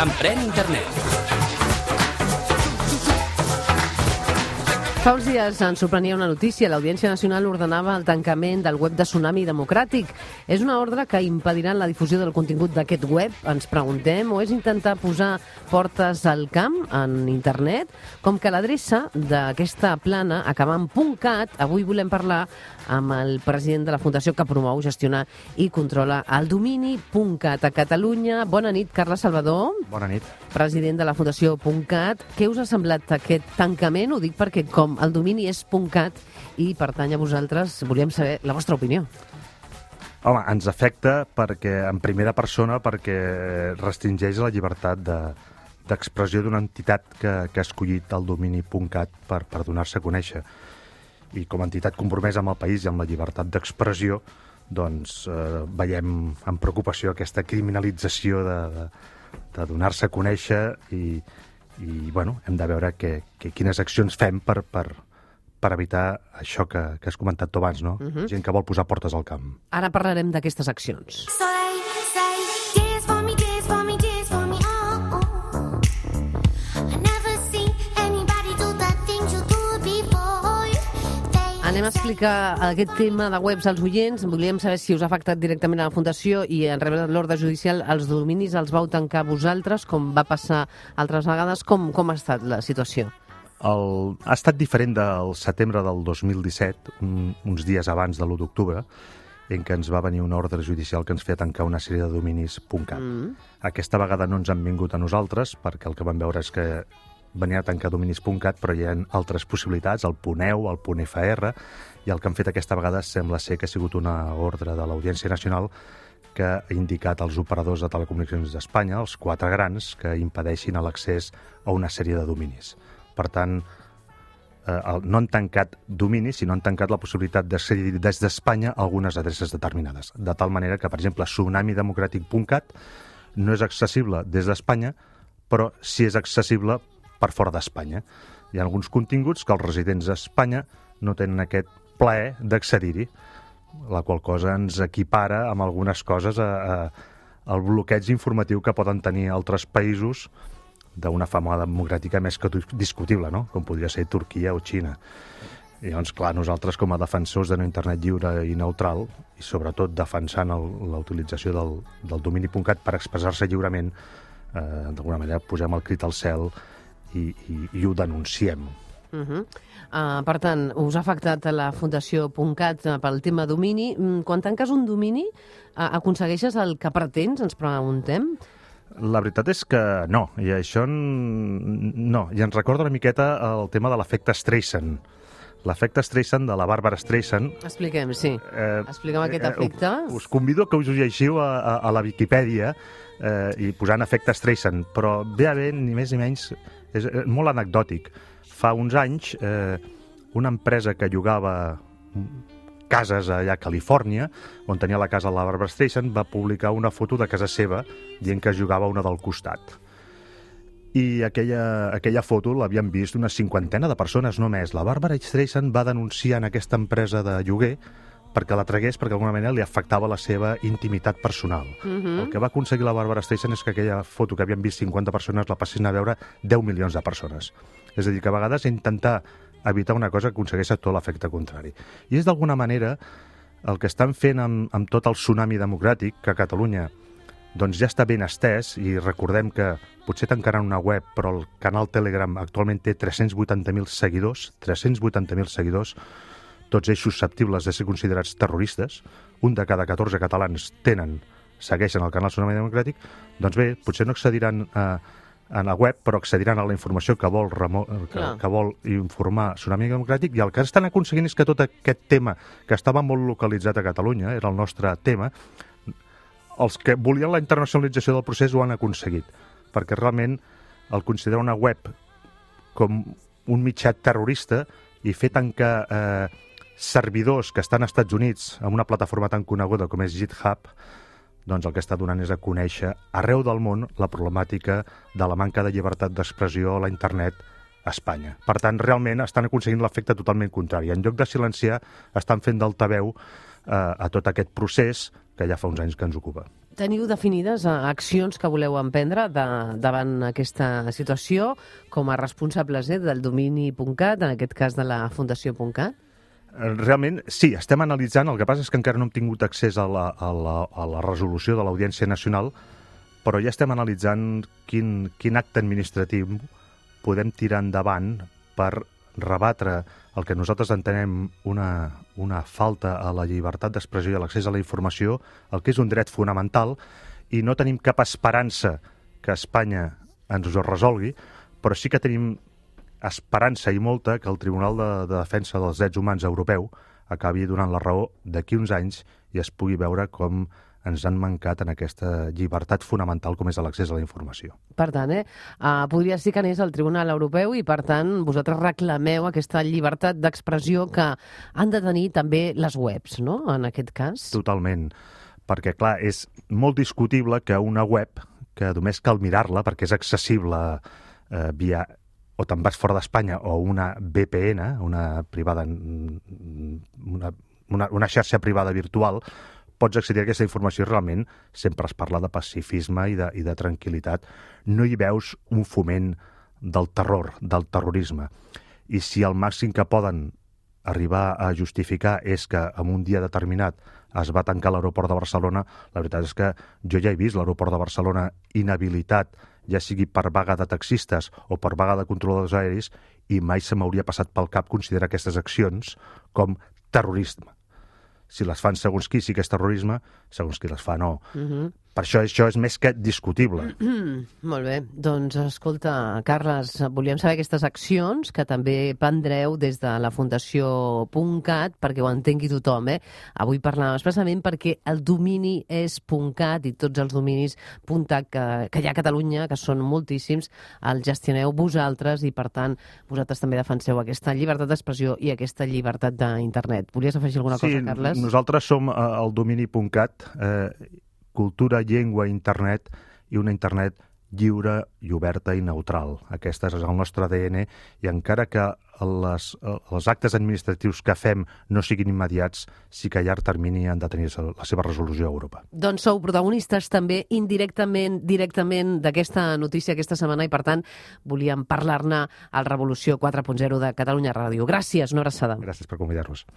Emprèn internet. Fa uns dies ens sorprenia una notícia. L'Audiència Nacional ordenava el tancament del web de Tsunami Democràtic. És una ordre que impedirà la difusió del contingut d'aquest web, ens preguntem, o és intentar posar portes al camp en internet? Com que l'adreça d'aquesta plana acaba en .cat, avui volem parlar amb el president de la fundació que promou, gestionar i controla el domini .cat a Catalunya. Bona nit, Carles Salvador. Bona nit. President de la fundació .cat. Què us ha semblat aquest tancament? Ho dic perquè com el domini és .cat i pertany a vosaltres, volíem saber la vostra opinió. Home, ens afecta perquè, en primera persona, perquè restringeix la llibertat d'expressió d'una entitat que ha escollit el domini .cat per donar-se a conèixer. I com a entitat compromesa amb el país i amb la llibertat d'expressió, doncs veiem amb preocupació aquesta criminalització de donar-se a conèixer i bueno, hem de veure quines accions fem per evitar això que has comentat tu abans, no? Gent que vol posar portes al camp. Ara parlarem d'aquestes accions. Anem a explicar aquest tema de webs als oients. Volíem saber si us ha afectat directament a la Fundació i en rebre l'ordre judicial els dominis els vau tancar vosaltres, com va passar altres vegades. Com ha estat la situació? Ha estat diferent del setembre del 2017, uns dies abans de l'1 d'octubre, en què ens va venir una ordre judicial que ens feia tancar una sèrie de dominis .cat. Aquesta vegada no ens han vingut a nosaltres, perquè el que vam veure és que venia a tancar dominis .cat, però hi ha altres possibilitats, el .eu, el .fr, i el que han fet aquesta vegada sembla ser que ha sigut una ordre de l'Audiència Nacional que ha indicat als operadors de telecomunicacions d'Espanya, els 4 grans, que impedeixin l'accés a una sèrie de dominis. Per tant, no han tancat dominis, sinó han tancat la possibilitat d'accedir des d'Espanya a algunes adreces determinades. De tal manera que, per exemple, tsunamidemocratic.cat no és accessible des d'Espanya, però sí és accessible per fora d'Espanya. Hi ha alguns continguts que els residents d'Espanya no tenen aquest plaer d'accedir-hi, la qual cosa ens equipara amb algunes coses al bloqueig informatiu que poden tenir altres països d'una fama democràtica més que discutible, no? Com podria ser Turquia o Xina. I llavors, clar, nosaltres com a defensors d'un internet lliure i neutral, i sobretot defensant la utilització del domini .cat per expressar-se lliurement, d'alguna manera posem el crit al cel i ho denunciem. Per tant, us ha afectat a la Fundació .cat pel tema domini. Quan tanques un domini, aconsegueixes el que pretens, ens preguntem? La veritat és que no, i això no. I ens recorda una miqueta el tema de l'efecte Streisand. L'efecte Streisand de la Barbara Streisand. Expliquem, sí. Expliquem aquest efecte. Us convido que us ho llegiu a la Viquipèdia i posant efecte Streisand, però ve a bé ni més ni menys, és molt anecdòtic. Fa uns anys, una empresa que llogava cases allà a Califòrnia, on tenia la casa de la Barbara Streisand, va publicar una foto de casa seva dient que jugava una del costat. I aquella foto l'havien vist una 50ena de persones només. La Barbara Streisand va denunciar en aquesta empresa de lloguer perquè la tragués, perquè d'alguna manera li afectava la seva intimitat personal. El que va aconseguir la Barbara Streisand és que aquella foto que havien vist 50 persones la passessin a veure 10 milions de persones. És a dir, que a vegades intentar evitar una cosa que aconsegueix tot l'efecte contrari. I és d'alguna manera el que estan fent amb tot el tsunami democràtic, que a Catalunya doncs ja està ben estès, i recordem que potser tancaran una web, però el canal Telegram actualment té 380.000 seguidors, 380.000 seguidors, tots ells susceptibles de ser considerats terroristes. Un de cada 14 catalans segueixen el canal Tsunami Democràtic. Doncs bé, potser no accediran a la web, però accediran a la informació que vol informar Tsunami Democràtic, i el que estan aconseguint és que tot aquest tema, que estava molt localitzat a Catalunya, era el nostre tema, els que volien la internacionalització del procés ho han aconseguit, perquè realment el considerar una web com un mitjà terrorista i fer tancar servidors que estan als Estats Units amb una plataforma tan coneguda com és GitHub, doncs el que està donant és a conèixer arreu del món la problemàtica de la manca de llibertat d'expressió a la internet a Espanya. Per tant, realment estan aconseguint l'efecte totalment contrari. En lloc de silenciar, estan fent d'altaveu a tot aquest procés que ja fa uns anys que ens ocupa. Teniu definides accions que voleu emprendre davant aquesta situació com a responsables del domini.cat, en aquest cas de la Fundació.cat? Realment, sí, estem analitzant. El que passa és que encara no hem tingut accés a la resolució de l'Audiència Nacional, però ja estem analitzant quin acte administratiu podem tirar endavant per rebatre el que nosaltres entenem una falta a la llibertat d'expressió i a l'accés a la informació, el que és un dret fonamental, i no tenim cap esperança que Espanya ens ho resolgui, però sí que tenim esperança i molta que el Tribunal de Defensa dels Drets Humans Europeu acabi donant la raó d'aquí uns anys i es pugui veure com ens han mancat en aquesta llibertat fonamental com és l'accés a la informació. Per tant, podria ser que anés al Tribunal Europeu i, per tant, vosaltres reclameu aquesta llibertat d'expressió que han de tenir també les webs, no?, en aquest cas. Totalment, perquè, clar, és molt discutible que una web, que només cal mirar-la perquè és accessible via o te'n vas fora d'Espanya o una VPN, una privada, una xarxa privada virtual, pots accedir a aquesta informació. Realment sempre es parla de pacifisme i de tranquil·litat. No hi veus un foment del terror, del terrorisme. I si el màxim que poden arribar a justificar és que en un dia determinat es va tancar l'aeroport de Barcelona, la veritat és que jo ja he vist l'aeroport de Barcelona inhabilitat, ja sigui per vaga de taxistes o per vaga de controladors aeris, i mai se m'hauria passat pel cap considerar aquestes accions com terrorisme. Si les fan segons qui sí que és terrorisme, segons qui les fa no. Per això és més que discutible. Molt bé. Doncs, escolta, Carles, volíem saber aquestes accions que també prendreu des de la Fundació.cat perquè ho entengui tothom. Avui parlàvem expressament perquè el domini és .cat i tots els dominis .cat que hi ha a Catalunya, que són moltíssims, els gestioneu vosaltres i, per tant, vosaltres també defenseu aquesta llibertat d'expressió i aquesta llibertat d'internet. Volies afegir alguna cosa, Carles? Sí, nosaltres som el domini.cat, cultura, llengua, internet, i una internet lliure i oberta i neutral. Aquest és el nostre ADN, i encara que els actes administratius que fem no siguin immediats, sí que a llarg termini han de tenir la seva resolució a Europa. Doncs sou protagonistes també indirectament, directament d'aquesta notícia aquesta setmana, i per tant volíem parlar-ne al Revolució 4.0 de Catalunya Ràdio. Gràcies, una abraçada. Gràcies per convidar-nos.